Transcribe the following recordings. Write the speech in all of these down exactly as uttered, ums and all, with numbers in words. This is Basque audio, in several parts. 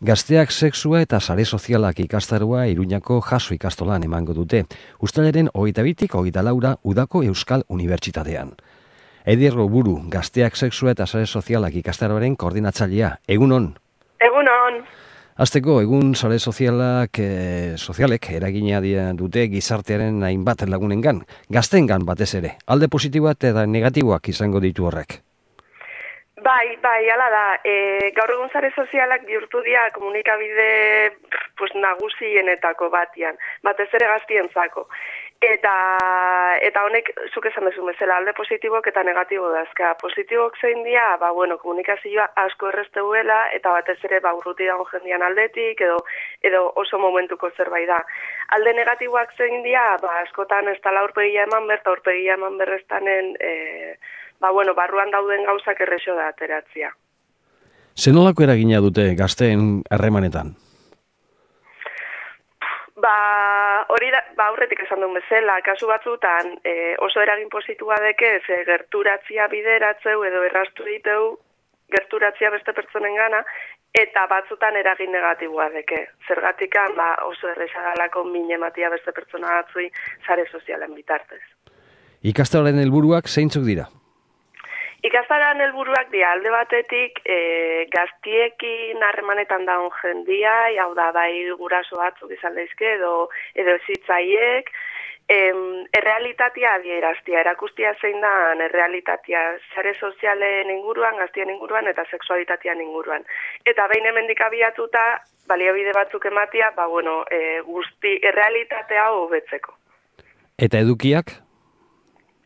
Gazteak sexua eta sare sozialak ikastaroa Iruñako Jaso ikastolan emango dute. Uztailaren hogeita bitik hogeita laura Udako Euskal Unibertsitatean. Eider Goburu, Gazteak sexua eta sare sozialak ikastaroaren koordinatzailea. Egunon. Egunon. Hasteko, egun sare sozialak, eh, sozialek eragina dute gizartearen hainbat lagunengan, gaztengan batez ere. Alde positiboak eta negatiboak izango ditu horrek. Bai, bai, hala da. E, gaur egun sare sozialak bihurtu dira komunikabide pues, nagusienetako batian, batez ere gaztientzako. Eta eta honek, zuk esan duzu bezala, alde positibok eta negatibo dazka. Positibok zein dira, ba, bueno, komunikazioa asko errezteuela, eta batez ere ba, urruti dago jendian aldetik, edo, edo oso momentuko zerbait da. Alde negatiboak zein dira, ba, askotan ez tala aurpegia eman ber, eta aurpegia eman berreztanen, e, ba, bueno, barruan dauden gauzak errexo da ateratzia. Zenolako eragina dute gazteen harremanetan? Ba, hori da, ba, aurretik esan duen bezala, kasu batzutan e, oso eragin positua deke, ze gerturatzia bideratzeu edo errastu diteu gerturatzia beste pertsonen gana, eta batzutan eragin negatiboa deke. Zergatikan, ba, oso errexadalako min ematia beste pertsona batzui sare sozialen bitartez. Ikastaroaren helburuak zeintzuk dira? Ikastaroaren helburuak dira, alde batetik e, gaztiekin harremanetan daun jendia, hau da, bai guraso batzuk izan daizke edo, edo ezitzaiek, em, errealitatea adieraztia, erakustia zein da errealitatea sare sozialen inguruan, gaztien inguruan eta sexualitatean inguruan. Eta behin hemendik abiatuta, baliabide batzuk ematia, ba, bueno, e, guzti errealitatea hobetzeko. Eta edukiak?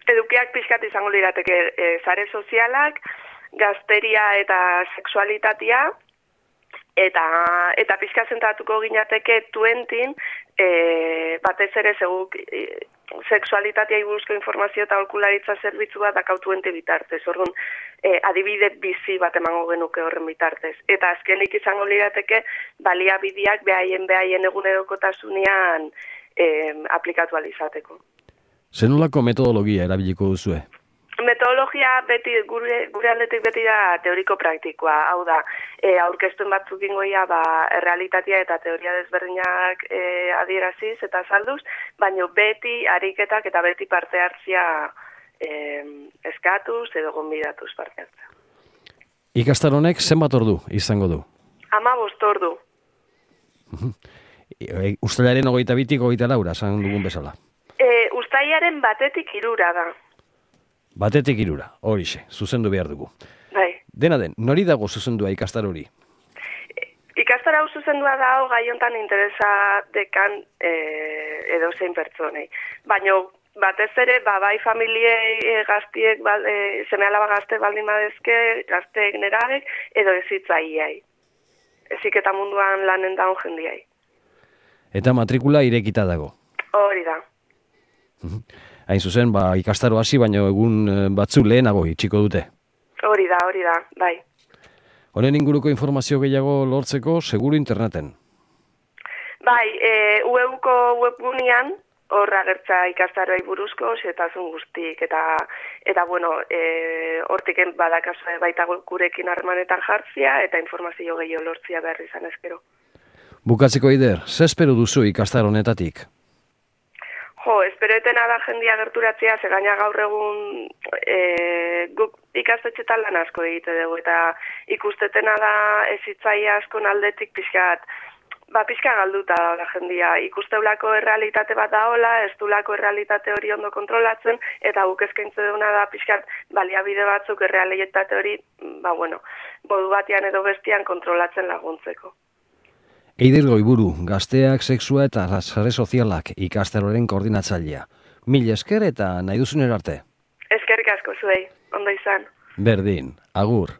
Edukiak pixkat izango lirateke e, sare sozialak, gazteria eta sexualitatea, eta eta pixka zentratuko ginateke tuentin, e, batez ere zeguk e, sexualitatea buruzko informazio eta aholkularitza zerbitzu bat dakau tuente bitartez. Orduan, e, adibide bizi bat emango genuke horren bitartez. Eta azkenik izango lirateke baliabideak behaien behaien egunerokotasunean e, aplikatu alizateko. Zenolako metodologia erabiliko duzue? Metodologia beti gure, gure aldetik beti da teoriko praktikoa. Hau da, e, aurkeztuen batzuk ingoia ba, errealitatea eta teoria desberdinak e, adieraziz eta salduz, baina beti ariketak eta beti parte hartzia e, eskatuz edo gonbidatuz parte hartzea. Ikastaronek zenbat ordu izango du? Hamabost ordu. Uztailaren hogeita bitik hogeita laura, esan dugun bezala. E, Uztailaren batetik hirura da. Batetik hirura, horixe, zuzendu behar dugu. Bai. Dena den, nori dago zuzendua ikastar hori? E, ikastar hau zuzendua dago gaiontan interesa dekan e, edo zein pertsonei. Baina batez ere, ba, bai familiei e, gaztiek, ba, e, seme alaba gazte baldin badezke, gazteek nerabek, edo ezitzaiai. Ezik eta munduan lanen daun jendiai. Eta matrikula irekita dago? Hori da. Hain zuzen, ba, ikastaro hasi, baina egun batzu lehenago itxiko dute. Hori da, hori da, bai. Honen inguruko informazio gehiago lortzeko, seguru interneten? Bai, e, U E U ko webgunean, horra gertza ikastaroai buruzko, xetasun guztik, eta, eta bueno, e, hortik badakazue baita gurekin harremanetan jartzia, eta informazio gehiago lortzia behar izan ezkero. Bukatzeko Eider, ze espero duzu ikastar honetatik? Jo, esperoetena da jendia gerturatzea, ze gaina gaur egun e, guk ikastetxetan lan asko egite dugu, eta ikustetena da ezitzaia askon aldetik pixkat, ba pixka galduta da jendia. Ikusteulako errealitate bat daola, ez dulako errealitate hori ondo kontrolatzen, eta guk eskaintze duguna da pixkat baliabide batzuk errealitate hori, ba bueno, modu batean edo bestian kontrolatzen laguntzeko. Eider Goiburu, Gazteak sexua eta sare sozialak ikastaroaren koordinatzailea. Mil esker eta nahi duzunera arte. Eskerrik asko zuei, ondo izan. Berdin, agur.